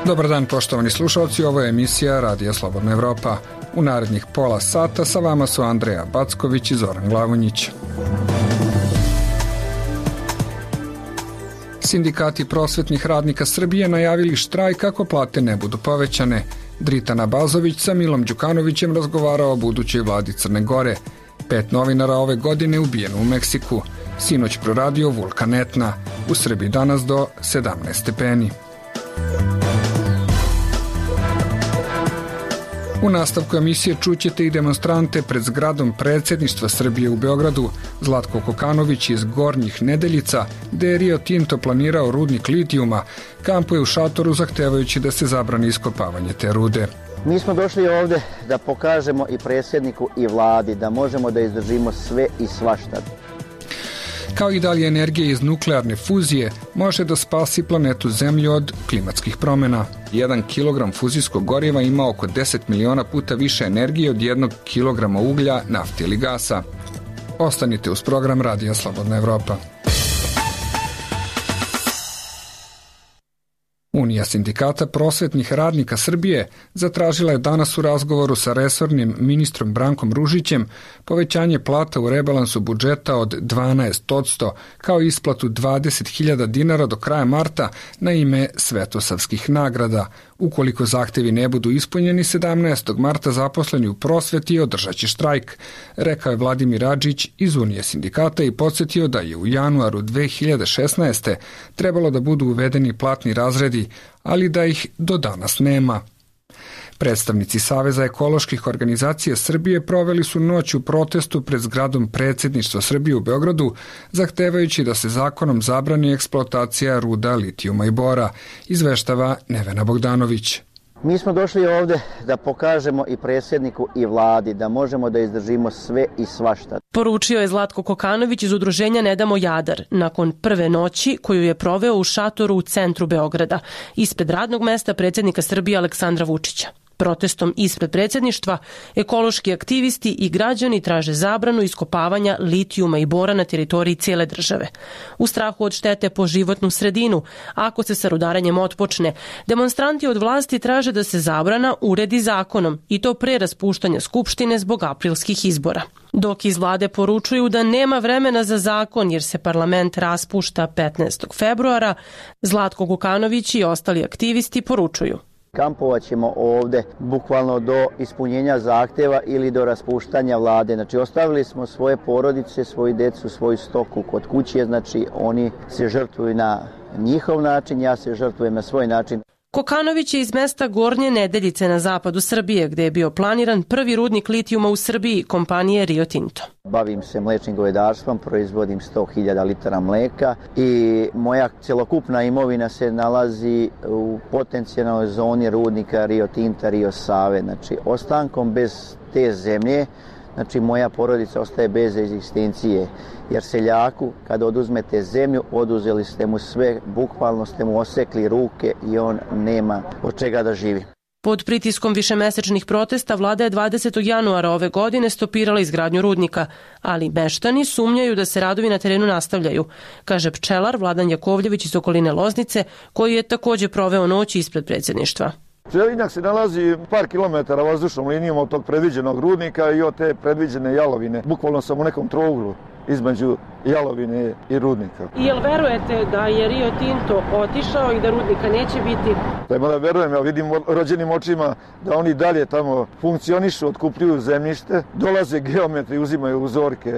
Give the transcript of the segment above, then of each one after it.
Dobar dan, poštovani slušalci, ovo je emisija Radija Slobodna Evropa. U narednih pola sata sa vama su Andreja Backović i Zoran Glavonjić. Sindikati prosvetnih radnika Srbije najavili štrajk ako plate ne budu povećane. Dritana Bazović sa Milom Đukanovićem razgovarao o budućoj vladi Crne Gore. 5 novinara ove godine ubijeno u Meksiku. Sinoć proradio vulkan Etna. U Srbiji danas do 17 stepeni. U nastavku emisije čućete i demonstrante pred zgradom predsjedništva Srbije u Beogradu. Zlatko Kokanović iz Gornjih Nedeljica, gde je Rio Tinto planirao rudnik litijuma, kampuje u šatoru zahtevajući da se zabrani iskopavanje te rude. Mi smo došli ovde da pokažemo i predsjedniku i vladi da možemo da izdržimo sve i svašta. Kao i dalje energija iz nuklearne fuzije može da spasi planetu Zemlju od klimatskih promjena. 1 kilogram fuzijskog goriva ima oko 10 miliona puta više energije od 1 kilograma uglja, nafte ili gasa. Ostanite uz program Radija Slobodna Evropa. Unija sindikata prosvetnih radnika Srbije zatražila je danas u razgovoru sa resornim ministrom Brankom Ružićem povećanje plata u rebalansu budžeta od 12%, kao i isplatu 20.000 dinara do kraja marta na ime svetosavskih nagrada. Ukoliko zahtevi ne budu ispunjeni, 17. marta zaposleni u prosveti održaće štrajk, rekao je Vladimir Adžić iz Unije sindikata i podsjetio da je u januaru 2016. trebalo da budu uvedeni platni razredi, ali da ih do danas nema. Predstavnici Saveza ekoloških organizacija Srbije proveli su noć u protestu pred zgradom predsjedništva Srbije u Beogradu, zahtevajući da se zakonom zabrani eksploatacija ruda litijuma i bora, izveštava Nevena Bogdanović. Mi smo došli ovde da pokažemo i predsjedniku i vladi da možemo da izdržimo sve i svašta. Poručio je Zlatko Kokanović iz udruženja Ne damo Jadar nakon prve noći koju je proveo u šatoru u centru Beograda, ispred radnog mesta predsjednika Srbije Aleksandra Vučića. Protestom ispred predsjedništva ekološki aktivisti i građani traže zabranu iskopavanja litijuma i bora na teritoriji cijele države. U strahu od štete po životnu sredinu, ako se sa rudarenjem otpočne, demonstranti od vlasti traže da se zabrana uredi zakonom i to pre raspuštanja Skupštine zbog aprilskih izbora. Dok iz vlade poručuju da nema vremena za zakon jer se parlament raspušta 15. februara, Zlatko Kokanović i ostali aktivisti poručuju: Kampovat ćemo ovde bukvalno do ispunjenja zahteva ili do raspuštanja vlade. Znači, ostavili smo svoje porodice, svoju decu, svoju stoku kod kuće, znači oni se žrtvuju na njihov način, ja se žrtvujem na svoj način. Kokanović je iz mesta Gornje Nedeljice na zapadu Srbije, gde je bio planiran prvi rudnik litijuma u Srbiji kompanije Rio Tinto. Bavim se mlečnim govedarstvom, proizvodim 100.000 litara mleka i moja celokupna imovina se nalazi u potencijalnoj zoni rudnika Rio Tinta, Rio Save. Znači, ostankom bez te zemlje, znači moja porodica ostaje bez egzistencije, jer seljaku kada oduzmete zemlju, oduzeli ste mu sve, bukvalno ste mu osekli ruke i on nema od čega da živi. Pod pritiskom višemesečnih protesta vlada je 20. januara ove godine stopirala izgradnju rudnika, ali meštani sumnjaju da se radovi na terenu nastavljaju, kaže pčelar Vladan Jakovljević iz okoline Loznice, koji je također proveo noć ispred predsjedništva. Pčelinjak se nalazi par kilometara vazdušnom linijom od tog predviđenog rudnika i od te predviđene jalovine. Bukvalno sam u nekom trouglu između jalovine i rudnika. Jel verujete da je Rio Tinto otišao i da rudnika neće biti? Da verujem, ja vidim rođenim očima da oni dalje tamo funkcionišu, otkupljuju zemljište, dolaze geometri, uzimaju uzorke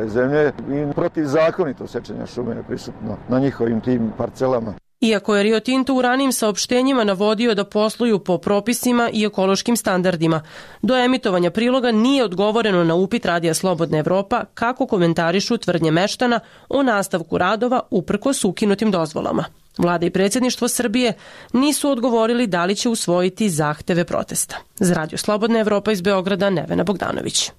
zemlje i protivzakonito sečenja šume je prisutno na njihovim tim parcelama. Iako je Rio Tinto u ranijim saopštenjima navodio da posluju po propisima i ekološkim standardima, do emitovanja priloga nije odgovoreno na upit Radija Slobodna Evropa kako komentarišu tvrdnje meštana o nastavku radova uprkos ukinutim dozvolama. Vlada i predsjedništvo Srbije nisu odgovorili da li će usvojiti zahteve protesta. Za Radio Slobodna Evropa iz Beograda, Nevena Bogdanović.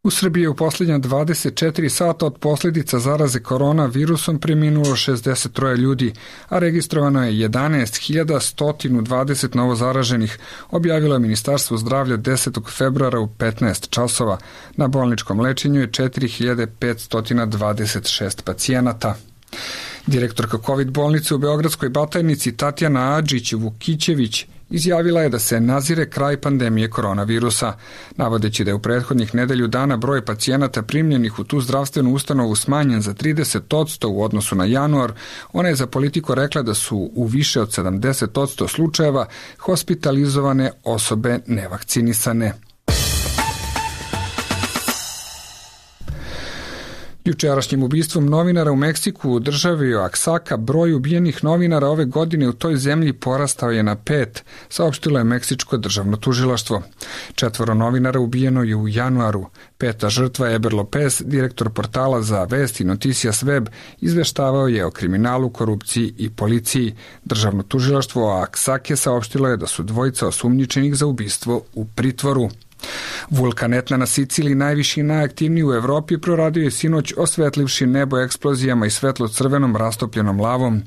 U Srbiji je u posljednja 24 sata od posljedica zaraze koronavirusom preminulo 63 ljudi, a registrovano je 11.120 novo zaraženih, objavilo je Ministarstvo zdravlja 10. februara u 15 časova. Na bolničkom lečenju je 4.526 pacijenata. Direktorka COVID bolnice u Beogradskoj Batajnici Tatjana Adžić-Vukićević izjavila je da se nazire kraj pandemije koronavirusa, navodeći da je u prethodnih nedelju dana broj pacijenata primljenih u tu zdravstvenu ustanovu smanjen za 30% u odnosu na januar. Ona je za Politiku rekla da su u više od 70% slučajeva hospitalizovane osobe nevakcinisane. Jučerašnjim ubistvom novinara u Meksiku u državi Oaxaca broj ubijenih novinara ove godine u toj zemlji porastao je na 5, saopštilo je Meksičko državno tužilaštvo. 4 novinara ubijeno je u januaru. 5. žrtva Eber Lopez, direktor portala za vesti Noticias Web, izveštavao je o kriminalu, korupciji i policiji. Državno tužilaštvo Oaxace saopštilo je da su 2 osumnjičenih za ubistvo u pritvoru. Vulkan Etna na Siciliji, najviši i najaktivniji u Evropi, proradio je sinoć osvetlivši nebo eksplozijama i svetlo-crvenom rastopljenom lavom.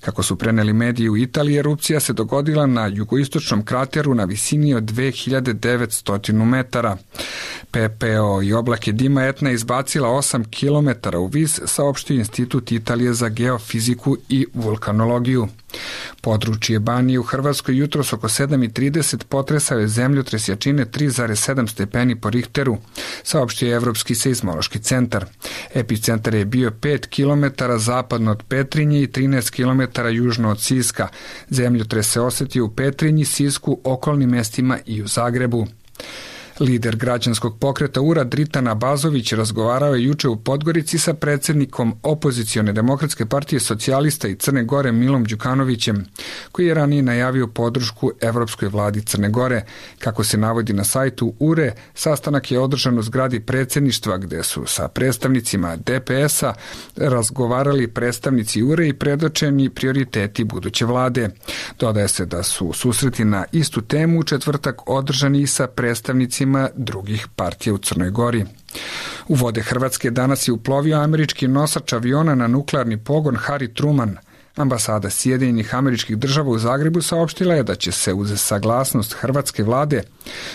Kako su preneli mediji u Italiji, erupcija se dogodila na jugoistočnom krateru na visini od 2900 metara. PPO i oblake dima Etna izbacila 8 km u vis, saopštio Institut Italije za geofiziku i vulkanologiju. Područje Banije u Hrvatskoj jutros oko 7:30 potresao je zemljotres jačine 3,7 stepeni po Richteru, saopštio je Evropski seizmološki centar. Epicentar je bio 5 km zapadno od Petrinje i 13 km južno od Siska. Zemljotres se osjetio u Petrinji, Sisku, okolnim mestima i u Zagrebu. Lider građanskog pokreta URA Dritan Abazović razgovarao je juče u Podgorici sa predsjednikom opozicione demokratske partije socijalista i Crne Gore Milom Đukanovićem, koji je ranije najavio podršku Evropskoj vladi Crne Gore. Kako se navodi na sajtu URE, sastanak je održan u zgradi predsjedništva gde su sa predstavnicima DPS-a razgovarali predstavnici URE i predočeni prioriteti buduće vlade. Dodaje se da su susreti na istu temu u četvrtak održani i sa predstavnicima drugih partija u Crnoj Gori. U vode Hrvatske danas je uplovio američki nosač aviona na nuklearni pogon Harry Truman. Ambasada Sjedinjenih Američkih Država u Zagrebu saopštila je da će se uz saglasnost hrvatske vlade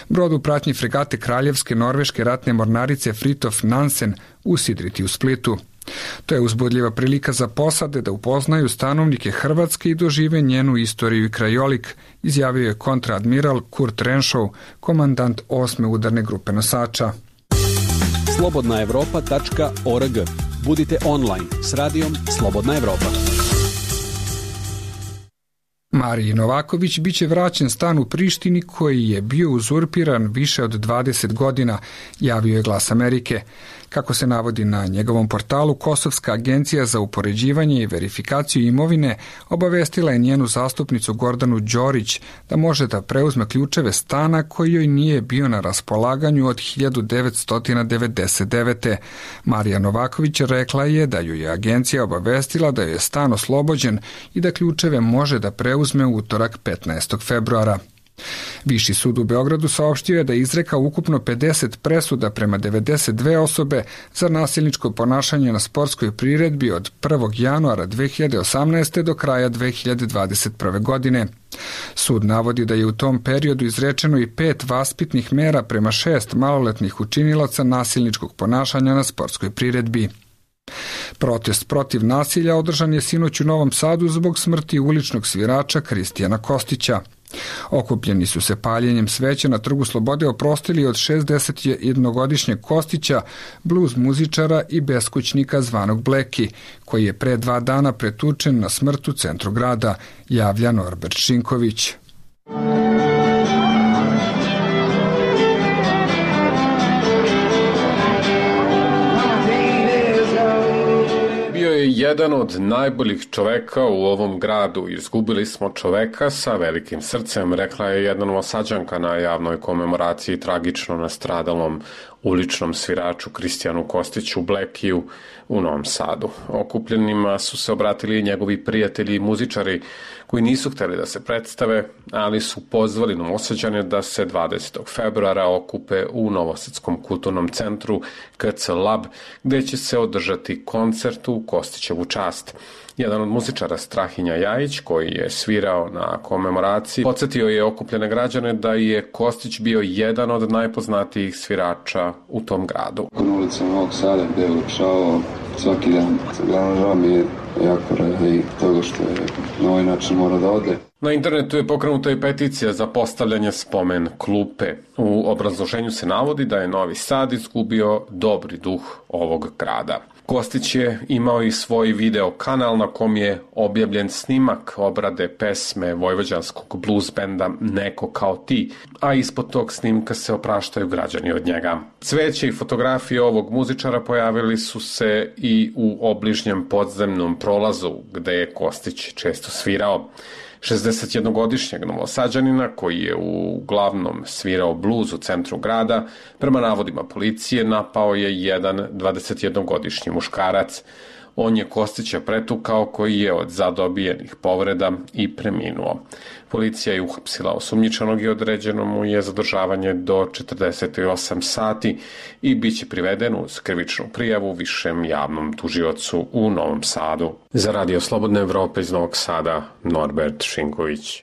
brod u pratnji fregate Kraljevske norveške ratne mornarice Fridtjof Nansen usidriti u Splitu. To je uzbudljiva prilika za posade da upoznaju stanovnike Hrvatske i dožive njenu istoriju i krajolik, izjavio je kontraadmiral Kurt Renshaw, komandant 8. udarne grupe nosača. slobodnaevropa.org. Budite online s radijom Slobodna Evropa. Mariji Novaković biće vraćen stan u Prištini koji je bio uzurpiran više od 20 godina, javio je Glas Amerike. Kako se navodi na njegovom portalu, Kosovska agencija za upoređivanje i verifikaciju imovine obavestila je njenu zastupnicu Gordanu Đorić da može da preuzme ključeve stana koji joj nije bio na raspolaganju od 1999. Marija Novaković rekla je da ju je agencija obavestila da je stan oslobođen i da ključeve može da preuzme u utorak 15. februara. Viši sud u Beogradu saopštio je da je izrekao ukupno 50 presuda prema 92 osobe za nasilničko ponašanje na sportskoj priredbi od 1. januara 2018. do kraja 2021. godine. Sud navodi da je u tom periodu izrečeno i 5 vaspitnih mera prema 6 maloletnih učinilaca nasilničkog ponašanja na sportskoj priredbi. Protest protiv nasilja održan je sinoć u Novom Sadu zbog smrti uličnog svirača Kristijana Kostića. Okupljeni su se paljenjem sveća na Trgu Slobode oprostili od 61-godišnjeg Kostića, bluz muzičara i beskućnika zvanog Bleki, koji je pre 2 dana pretučen na smrt u centru grada, javlja Norbert Šinković. Jedan od najboljih čoveka u ovom gradu. Izgubili smo čoveka sa velikim srcem, rekla je jedna Novosađanka na javnoj komemoraciji tragično nastradalom uličnom sviraču Kristijanu Kostiću Blekiju u Novom Sadu. Okupljenima su se obratili njegovi prijatelji i muzičari koji nisu hteli da se predstave, ali su pozvali Novosađane da se 20. februara okupe u Novosadskom kulturnom centru KC Lab, gde će se održati koncert u Kostićevu čast. Jedan od muzičara, Strahinja Jajić, koji je svirao na komemoraciji, podsjetio je okupljene građane da je Kostić bio jedan od najpoznatijih svirača u tom gradu. Na ulici Novog Sada gde je ulepšavao svaki dan. Glavno žao mi je jako radi toga što je na ovaj način mora da ode. Na internetu je pokrenuta i peticija za postavljanje spomen klupe. U obrazloženju se navodi da je Novi Sad izgubio dobri duh ovog grada. Kostić je imao i svoj video kanal na kom je objavljen snimak obrade pesme vojvođanskog blues benda Neko kao ti, a ispod tog snimka se opraštaju građani od njega. Cveće i fotografije ovog muzičara pojavili su se i u obližnjem podzemnom prolazu gde je Kostić često svirao. 61-godišnjeg Novosađanina, koji je uglavnom svirao bluz u centru grada, prema navodima policije napao je jedan 21-godišnji muškarac. On je Kostića pretukao, koji je od zadobijenih povreda i preminuo. Policija je uhapsila osumnjičenog i određeno mu je zadržavanje do 48 sati i bit će priveden uz krivičnu prijavu višem javnom tužiocu u Novom Sadu. Za Radio Slobodne Evrope iz Novog Sada, Norbert Šinković.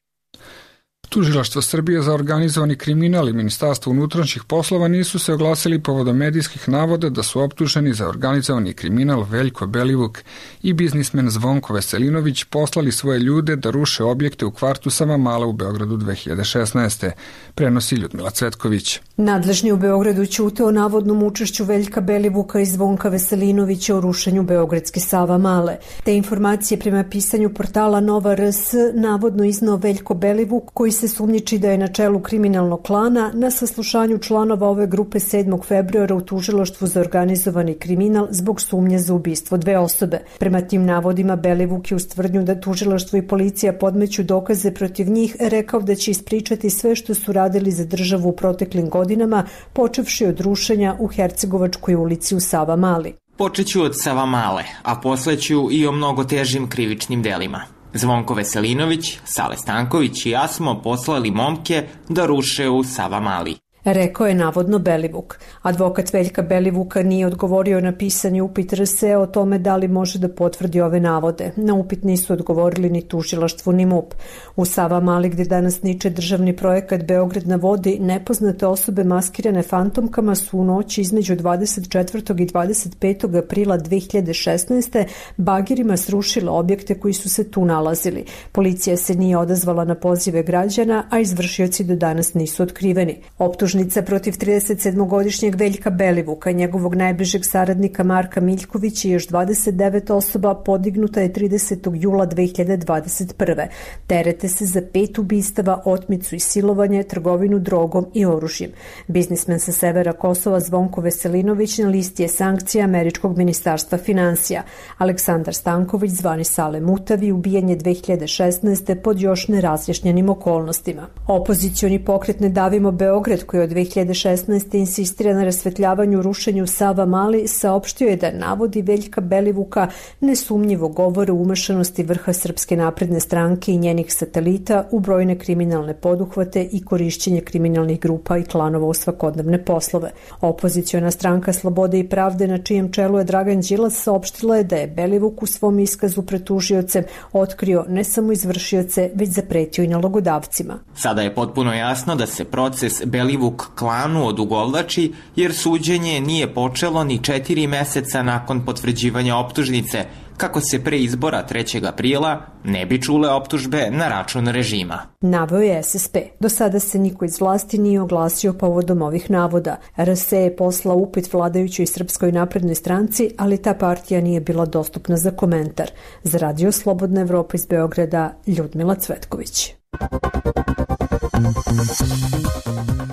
Tužilaštvo Srbije za organizovani kriminal i Ministarstvo unutrašnjih poslova nisu se oglasili povodom medijskih navoda da su optuženi za organizovani kriminal Veljko Belivuk i biznismen Zvonko Veselinović poslali svoje ljude da ruše objekte u kvartu Savamale u Beogradu 2016. Prenosi Ljudmila Cvetković. Nadležni u Beogradu ćute o navodnom učešću Veljka Belivuka i Zvonka Veselinovića u rušenju beogradske Savamale. Te informacije prema pisanju portala Nova RS navodno iznao Veljko Belivuk, koji se sumnjiči da je na čelu kriminalnog klana na saslušanju članova ove grupe 7. februara u tužilaštvu za organizovani kriminal zbog sumnje za ubistvo 2 osobe. Prema tim navodima Belivuk je uz tvrdnju da tužilaštvo i policija podmeću dokaze protiv njih rekao da će ispričati sve što su radili za državu u proteklim godinama, počevši od rušenja u Hercegovačkoj ulici u Savamali. Počeću od Savamale, a posleću i o mnogo težim krivičnim delima. Zvonko Veselinović, Sale Stanković i ja smo poslali momke da ruše u Savamali. Rekao je navodno Belivuk. Advokat Veljka Belivuka nije odgovorio na pisani upit RSE o tome da li može da potvrdi ove navode. Na upit nisu odgovorili ni tužilaštvo ni MUP. U Savamali, gde danas niče državni projekat Beograd na vodi, nepoznate osobe maskirane fantomkama su u noći između 24. i 25. aprila 2016. bagirima srušile objekte koji su se tu nalazili. Policija se nije odazvala na pozive građana, a izvršioci do danas nisu otkriveni. Optužnica protiv 37-godišnjeg Veljka Belivuka i njegovog najbližeg saradnika Marka Miljkovića i još 29 osoba podignuta je 30. jula 2021. Terete se za 5 ubistava, otmicu i silovanje, trgovinu drogom i oružjem. Biznismen sa severa Kosova Zvonko Veselinović na listi je sankcija Američkog ministarstva finansija. Aleksandar Stanković, zvani Sale Mutavi, ubijen je 2016. pod još nerazjašnjenim okolnostima. Opozicioni pokret Ne davimo Beograd, koji od 2016. insistira na rasvetljavanju rušenju Savamali, saopštio je da navodi Veljka Belivuka nesumnjivo govore o umešanosti vrha Srpske napredne stranke i njenih satelita u brojne kriminalne poduhvate i korišćenje kriminalnih grupa i klanova u svakodnevne poslove. Opoziciona stranka Slobode i pravde, na čijem čelu je Dragan Đilas, saopštila je da je Belivuk u svom iskazu pred tužiocem otkrio ne samo izvršioce, već zapretio i nalogodavcima. Sada je potpuno jasno da se proces Belivuk klanu odugovlači, jer suđenje nije počelo ni 4 meseca nakon potvrđivanja optužnice, kako se pre izbora 3. aprila ne bi čule optužbe na račun režima. Naveo je SSP. Do sada se niko iz vlasti nije oglasio povodom ovih navoda. RSE je poslao upit vladajućoj Srpskoj naprednoj stranci, ali ta partija nije bila dostupna za komentar. Za Radio Slobodna Evropa iz Beograda, Ljudmila Cvetković.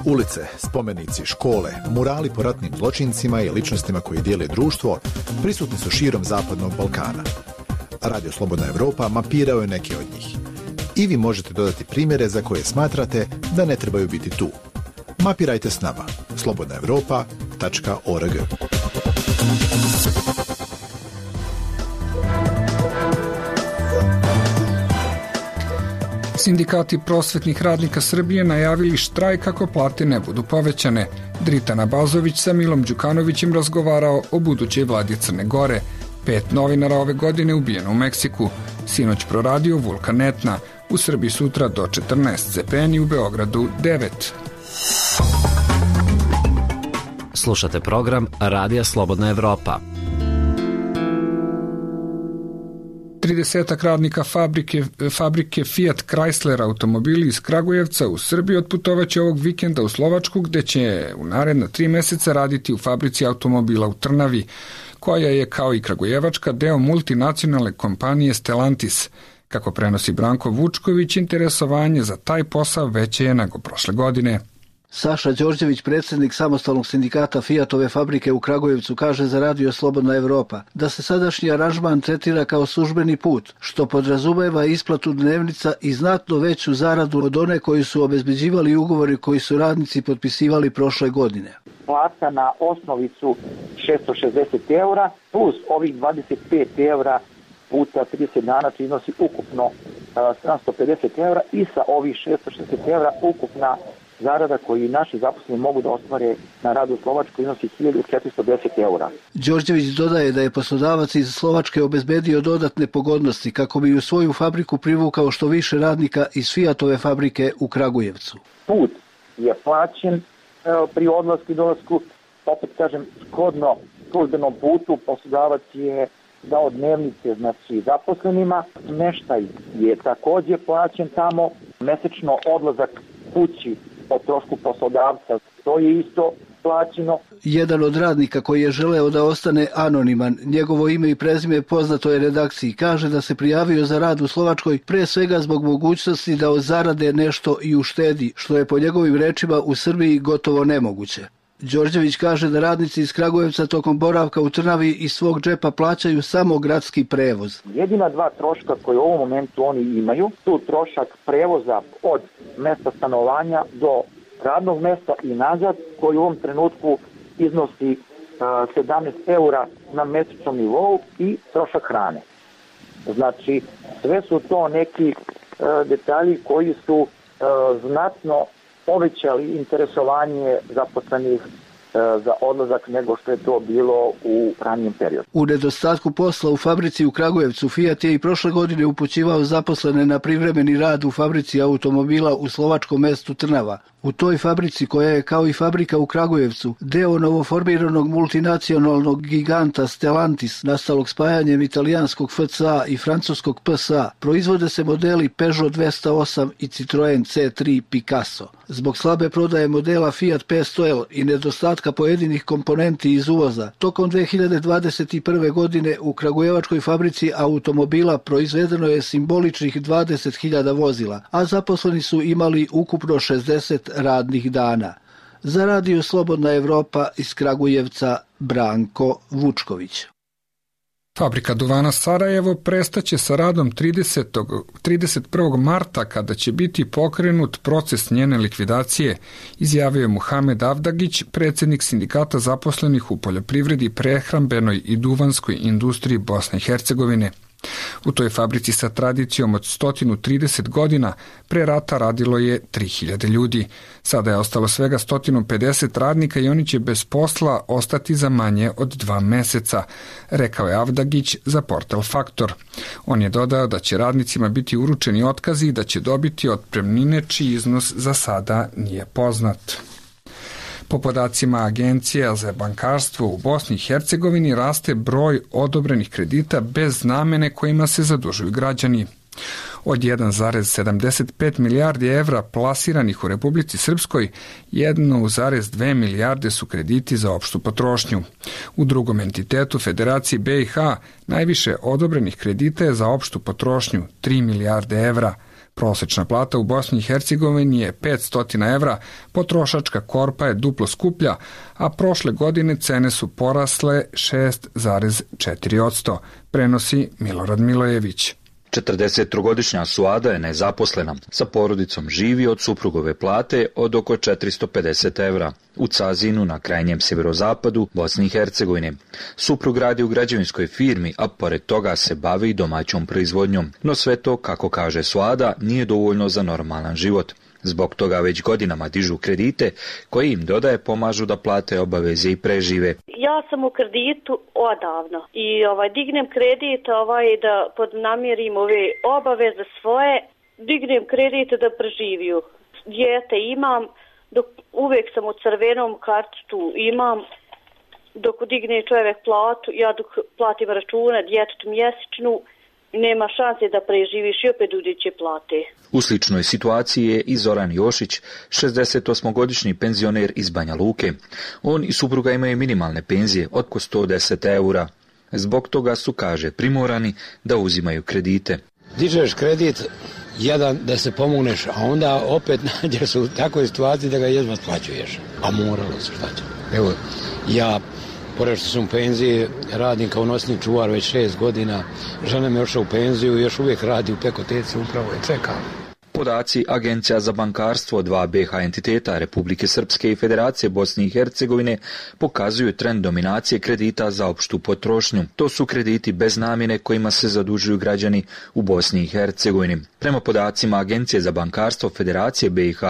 Ulice, spomenici, škole, murali po ratnim zločincima i ličnostima koji dijele društvo prisutni su širom Zapadnog Balkana. Radio Slobodna Evropa mapirao je neke od njih. I vi možete dodati primjere za koje smatrate da ne trebaju biti tu. Mapirajte s nama. Slobodnaevropa srpska.org. Sindikati prosvetnih radnika Srbije najavili štrajk ako plate ne budu povećane. Dritana Bazović sa Milom Đukanovićem razgovarao o budućoj vladi Crne Gore. 5 novinara ove godine ubijeno u Meksiku. Sinoć proradio vulkan Etna. U Srbiji sutra do 14 stepeni, u Beogradu 9. Slušate program Radija Slobodna Evropa. 30 radnika fabrike Fiat Chrysler automobili iz Kragujevca u Srbiji otputovaće ovog vikenda u Slovačku, gde će u naredna 3 meseca raditi u fabrici automobila u Trnavi, koja je kao i kragujevačka deo multinacionalne kompanije Stellantis. Kako prenosi Branko Vučković, interesovanje za taj posao veće je nego prošle godine. Saša Đorđević, predsjednik samostalnog sindikata Fiatove fabrike u Kragujevcu, kaže za Radio Slobodna Evropa da se sadašnji aranžman tretira kao službeni put, što podrazumeva isplatu dnevnica i znatno veću zaradu od one koju su obezbeđivali ugovori koji su radnici potpisivali prošle godine. Plata na osnovicu 660 eura plus ovih 25 eura puta 30 dana iznosi ukupno 750 eura i sa ovih 660 eura ukupna zarada koju naši zaposleni mogu da ostvare na radu u Slovačkoj iznosi 1410 eura. Đorđević dodaje da je poslodavac iz Slovačke obezbedio dodatne pogodnosti kako bi u svoju fabriku privukao što više radnika iz Fiatove fabrike u Kragujevcu. Put je plaćen pri odlasku i dolasku, opet kažem, shodno službenom putu poslodavac je dao dnevnice znači zaposlenima, smeštaj je takođe plaćen tamo, mesečno odlazak kući o trošku poslodavca, to je isto plaćeno. Jedan od radnika koji je želeo da ostane anoniman, njegovo ime i prezime poznato je redakciji, kaže da se prijavio za rad u Slovačkoj pre svega zbog mogućnosti da od zarade nešto i uštedi, što je po njegovim rečima u Srbiji gotovo nemoguće. Đorđević kaže da radnici iz Kragujevca tokom boravka u Trnavi iz svog džepa plaćaju samo gradski prevoz. Jedina 2 troška koje u ovom momentu oni imaju su trošak prevoza od mesta stanovanja do radnog mesta i nazad, koji u ovom trenutku iznosi 17 eura na mesečnom nivou i trošak hrane. Znači, sve su to neki detalji koji su znatno povećali interesovanje zaposlenih za odlazak nego što je to bilo u ranijem periodu. U nedostatku posla u fabrici u Kragujevcu, Fiat je i prošle godine upućivao zaposlene na privremeni rad u fabrici automobila u slovačkom mestu Trnava. U toj fabrici, koja je kao i fabrika u Kragujevcu, deo novoformiranog multinacionalnog giganta Stellantis, nastalog spajanjem italijanskog FCA i francuskog PSA, proizvode se modeli Peugeot 208 i Citroen C3 Picasso. Zbog slabe prodaje modela Fiat 500L i nedostatka pojedinih komponenti iz uvoza, tokom 2021. godine u kragujevačkoj fabrici automobila proizvedeno je simboličnih 20.000 vozila, a zaposleni su imali ukupno 60 radnih dana. Za Radio Slobodna Evropa iz Kragujevca, Branko Vučković. Fabrika duvana Sarajevo prestaće sa radom 31. marta kada će biti pokrenut proces njene likvidacije, izjavio je Muhamed Avdagić, predsjednik sindikata zaposlenih u poljoprivredi, prehrambenoj i duvanskoj industriji Bosne i Hercegovine. U toj fabrici sa tradicijom od 130 godina pre rata radilo je 3000 ljudi. Sada je ostalo svega 150 radnika i oni će bez posla ostati za manje od 2 meseca, rekao je Avdagić za portal Faktor. On je dodao da će radnicima biti uručeni otkazi i da će dobiti otpremnine čiji iznos za sada nije poznat. Po podacima Agencije za bankarstvo u Bosni i Hercegovini raste broj odobrenih kredita bez namene kojima se zadužuju građani. Od 1,75 milijardi evra plasiranih u Republici Srpskoj, 1,2 milijarde su krediti za opštu potrošnju. U drugom entitetu Federacije BiH najviše odobrenih kredita je za opštu potrošnju, 3 milijarde evra. Prosečna plata u Bosni i Hercegovini je 500 evra, potrošačka korpa je duplo skuplja, a prošle godine cene su porasle 6,4%, prenosi Milorad Milojević. 43-godišnja Suada je nezaposlena. Sa porodicom živi od suprugove plate od oko 450 evra u Cazinu na krajnjem sjeverozapadu Bosne i Hercegovine. Suprug radi u građevinskoj firmi, a pored toga se bavi i domaćom proizvodnjom. No sve to, kako kaže Suada, nije dovoljno za normalan život. Zbog toga već godinama dižu kredite koji im dodaje pomažu da plate obaveze i prežive. Ja sam u kreditu odavno i dignem kredit da podnamirim ove obaveze svoje, dignem kredit da preživiju. Dijete imam, dok uvijek sam u crvenom karticu imam, dok digne čovjek platu, ja dok platim račune djetetu mjesečnu, nema šanse da preživiš i opet uđeće plate. U sličnoj situaciji je i Zoran Jošić, 68-godišnji penzioner iz Banja Luke. On i supruga imaju minimalne penzije od oko 110 eura. Zbog toga su, kaže, primorani da uzimaju kredite. Dižeš kredit, jedan da se pomogneš, a onda opet nađeš u takvoj situaciji da ga jedva otplaćuješ. A moralo se, šta će? Evo, ja, pored što sam u penziji, radim kao nosni čuvar već 6 godina. Žena me ošla u penziju i još uvijek radi u pekoteci, upravo je čekam. Podaci Agencija za bankarstvo 2 BH entiteta Republike Srpske i Federacije Bosne i Hercegovine pokazuju trend dominacije kredita za opštu potrošnju. To su krediti bez namjene kojima se zadužuju građani u Bosni i Hercegovini. Prema podacima Agencije za bankarstvo Federacije BiH,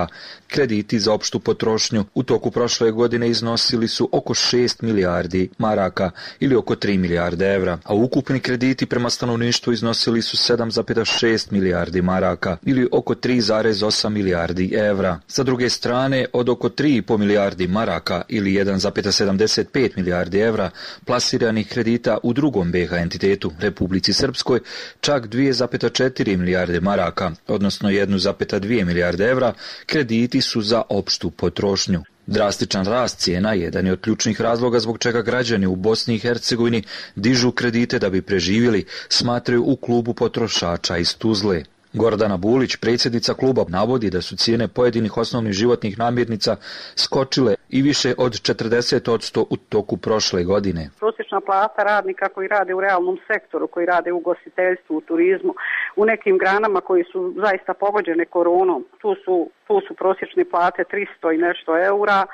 krediti za opštu potrošnju u toku prošle godine iznosili su oko 6 milijardi maraka ili oko 3 milijarde evra, a ukupni krediti prema stanovništvu iznosili su 7,6 milijardi maraka ili oko 3,8 milijardi evra. Sa druge strane, od oko 3,5 milijardi maraka ili 1,75 milijardi evra plasiranih kredita u drugom BiH entitetu, Republici Srpskoj, čak 2,4 milijarde maraka, odnosno 1,2 milijarde evra, krediti su za opštu potrošnju. Drastičan rast cijena jedan je od ključnih razloga zbog čega građani u Bosni i Hercegovini dižu kredite da bi preživjeli, smatraju u klubu potrošača iz Tuzle. Gordana Bulić, predsjednica kluba, navodi da su cijene pojedinih osnovnih životnih namirnica skočile i više od 40% u toku prošle godine. Prosječna plata radnika koji rade u realnom sektoru, koji rade u ugostiteljstvu, u turizmu, u nekim granama koji su zaista pogođene koronom, tu su prosječne plate 300 i nešto eura,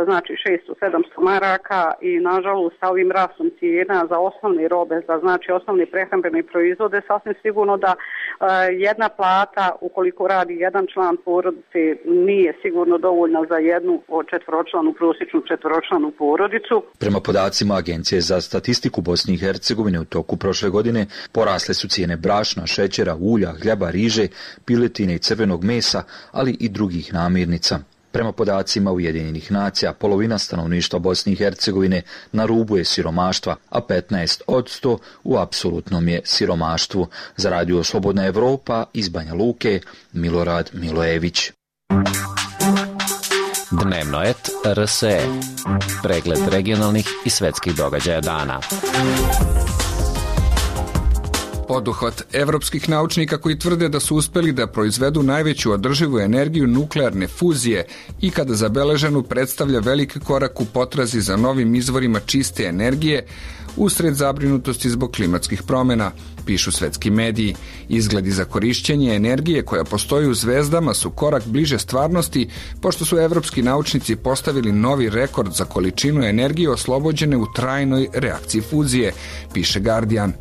znači 600-700 maraka i nažalost sa ovim rastom cijena za osnovne robe, za znači osnovne prehrambene proizvode, sasvim sigurno da jedna plata ukoliko radi jedan član porodice nije sigurno dovoljna za jednu prosječnu četvoročlanu porodicu. Prema podacima Agencije za statistiku Bosne i Hercegovine u toku prošle godine porasle su cijene brašna, šećera, ulja, hljeba, riže, piletine i crvenog mesa, ali i drugih namirnica. Prema podacima Ujedinjenih nacija, polovina stanovništva Bosne i Hercegovine na rubu je siromaštva, a 15% u apsolutnom je siromaštvu. Za Radio Slobodna Evropa iz Banja Luke, Milorad Milojević. Dnevno et RSE. Pregled regionalnih i svetskih događaja dana. Poduhvat evropskih naučnika koji tvrde da su uspeli da proizvedu najveću održivu energiju nuklearne fuzije i kada zabeleženu predstavlja veliki korak u potrazi za novim izvorima čiste energije usred zabrinutosti zbog klimatskih promjena, pišu svetski mediji. Izgledi za korišćenje energije koja postoji u zvezdama su korak bliže stvarnosti, pošto su evropski naučnici postavili novi rekord za količinu energije oslobođene u trajnoj reakciji fuzije, piše Guardian.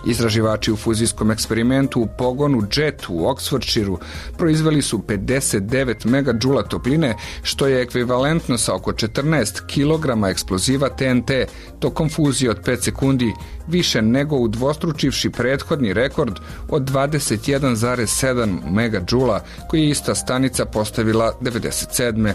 Istraživači u fuzijskom eksperimentu u pogonu JET u Oxfordshireu proizveli su 59 megadžula topline, što je ekvivalentno sa oko 14 kg eksploziva TNT tokom fuzije od 5 sekundi, više nego udvostručivši prethodni rekord od 21,7 megadžula koji je ista stanica postavila 97.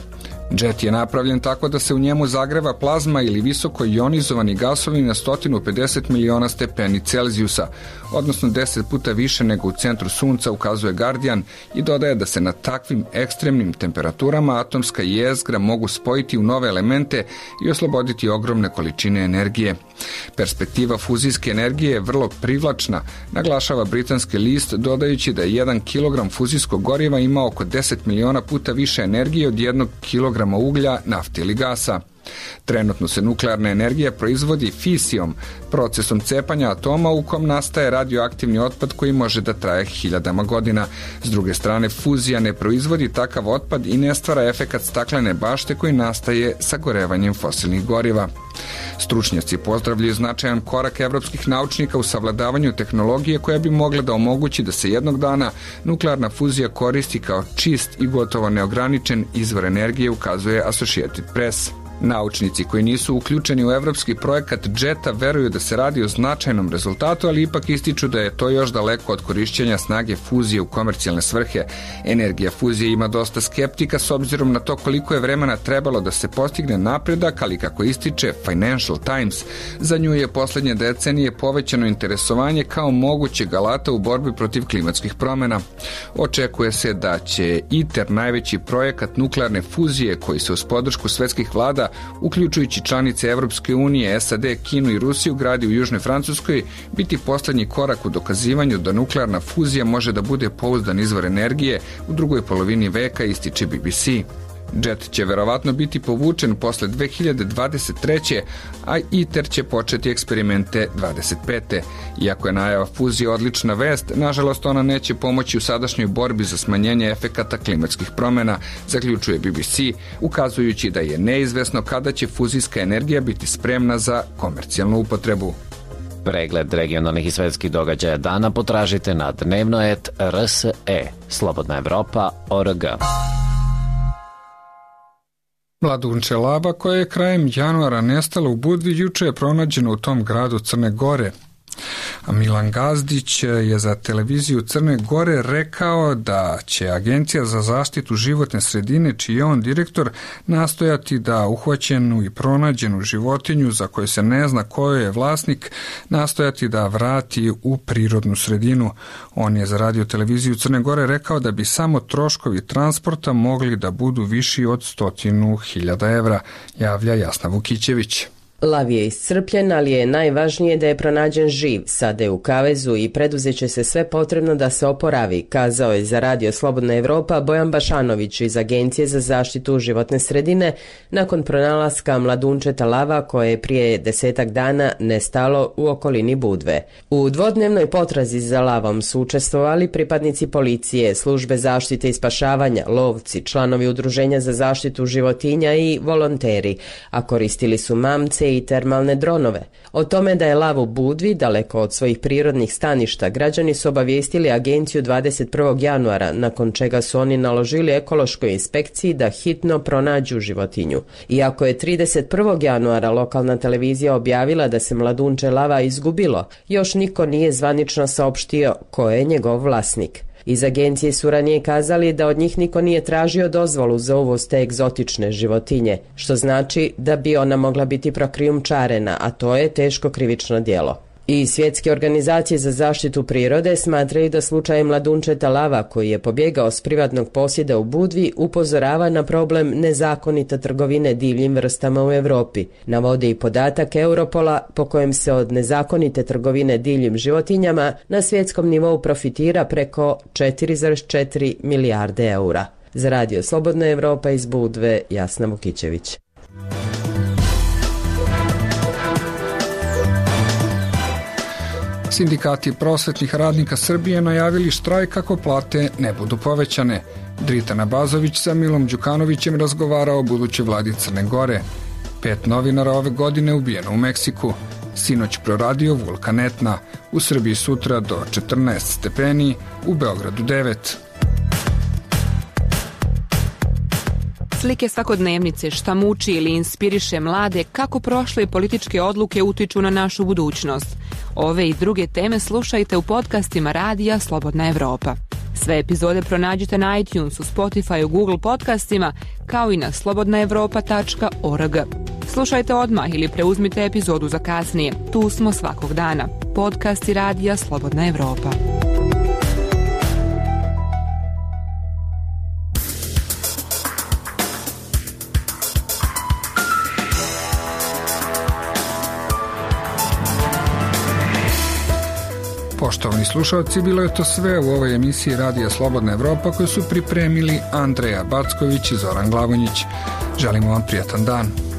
JET je napravljen tako da se u njemu zagreva plazma ili visoko ionizovani gasovi na 150 miliona stepeni Celzijusa, odnosno 10 puta više nego u centru Sunca, ukazuje Guardian, i dodaje da se na takvim ekstremnim temperaturama atomska jezgra mogu spojiti u nove elemente i osloboditi ogromne količine energije. Perspektiva fuzijske energije je vrlo privlačna, naglašava britanski list, dodajući da je 1 kg fuzijskog goriva ima oko 10 miliona puta više energije od 1 kg uglja, nafte ili gasa. Trenutno se nuklearna energija proizvodi fisijom, procesom cepanja atoma u kom nastaje radioaktivni otpad koji može da traje hiljadama godina. S druge strane, fuzija ne proizvodi takav otpad i ne stvara efekat staklene bašte koji nastaje sagorevanjem fosilnih goriva. Stručnjaci pozdravljaju značajan korak evropskih naučnika u savladavanju tehnologije koja bi mogla da omogući da se jednog dana nuklearna fuzija koristi kao čist i gotovo neograničen izvor energije, ukazuje Associated Press. Naučnici koji nisu uključeni u evropski projekat JET-a veruju da se radi o značajnom rezultatu, ali ipak ističu da je to još daleko od korišćenja snage fuzije u komercijalne svrhe. Energija fuzije ima dosta skeptika s obzirom na to koliko je vremena trebalo da se postigne napredak, ali kako ističe Financial Times, za nju je poslednje decenije povećano interesovanje kao mogućeg alata u borbi protiv klimatskih promena. Očekuje se da će ITER, najveći projekat nuklearne fuzije koji se uz podršku svetskih vlada, uključujući članice Evropske unije, SAD, Kinu i Rusiju, gradi u Južnoj Francuskoj, biti poslednji korak u dokazivanju da nuklearna fuzija može da bude pouzdan izvor energije u drugoj polovini veka, ističe BBC. JET će verovatno biti povučen posle 2023. a ITER će početi eksperimente 25. Iako je najava fuzije odlična vest, nažalost ona neće pomoći u sadašnjoj borbi za smanjenje efekata klimatskih promena, zaključuje BBC, ukazujući da je neizvesno kada će fuzijska energija biti spremna za komercijalnu upotrebu. Pregled regionalnih i svetskih događaja dana potražite na dnevno.rse, slobodnaevropa.org. Mladunče lava koja je krajem januara nestala u Budvi juče je pronađena u tom gradu Crne Gore. A Milan Gazdić je za televiziju Crne Gore rekao da će Agencija za zaštitu životne sredine, čiji je on direktor, nastojati da uhvaćenu i pronađenu životinju za koju se ne zna ko je vlasnik, nastojati da vrati u prirodnu sredinu. On je za radio televiziju Crne Gore rekao da bi samo troškovi transporta mogli da budu viši od 100.000 evra, javlja Jasna Vukićević. Lav je iscrpljen, ali je najvažnije da je pronađen živ, sada je u kavezu i preduzeće se sve potrebno da se oporavi, kazao je za radio Slobodna Evropa Bojan Bašanović iz Agencije za zaštitu životne sredine nakon pronalaska mladunčeta lava koje je prije 10 dana nestalo u okolini Budve. U dvodnevnoj potrazi za lavom su učestvovali pripadnici policije, službe zaštite i spašavanja, lovci, članovi udruženja za zaštitu životinja i volonteri, a koristili su mamce i termalne dronove. O tome da je lav u Budvi, daleko od svojih prirodnih staništa, građani su obavijestili agenciju 21. januara, nakon čega su oni naložili ekološkoj inspekciji da hitno pronađu životinju. Iako je 31. januara lokalna televizija objavila da se mladunče lava izgubilo, još niko nije zvanično saopštio ko je njegov vlasnik. Iz agencije su ranije kazali da od njih niko nije tražio dozvolu za uvoz te egzotične životinje, što znači da bi ona mogla biti prokrijumčarena, a to je teško krivično djelo. I svjetske organizacije za zaštitu prirode smatraju da slučaj mladunčeta lava koji je pobjegao s privatnog posjeda u Budvi upozorava na problem nezakonite trgovine divljim vrstama u Evropi. Navode i podatak Europola po kojem se od nezakonite trgovine divljim životinjama na svjetskom nivou profitira preko 4,4 milijarde eura. Za radio Slobodna Evropa iz Budve, Jasna Vukićević. Sindikati prosvetnih radnika Srbije najavili štrajk ako plate ne budu povećane. Dritana Bazović sa Milom Đukanovićem razgovarao o budućoj vladi Crne Gore. 5 novinara ove godine ubijeno u Meksiku. Sinoć proradio vulkan Etna. U Srbiji sutra do 14 stepeni, u Beogradu 9. Slike svakodnevnice, šta muči ili inspiriše mlade, kako prošle političke odluke utiču na našu budućnost. Ove i druge teme slušajte u podcastima radija Slobodna Evropa. Sve epizode pronađite na iTunesu, Spotify, Google podcastima, kao i na slobodnaevropa.org. Slušajte odmah ili preuzmite epizodu za kasnije. Tu smo svakog dana. Podcasti radija Slobodna Evropa. Poštovani slušalci, bilo je to sve u ovoj emisiji Radija Slobodna Evropa koju su pripremili Andreja Backović i Zoran Glavonjić. Želimo vam prijatan dan.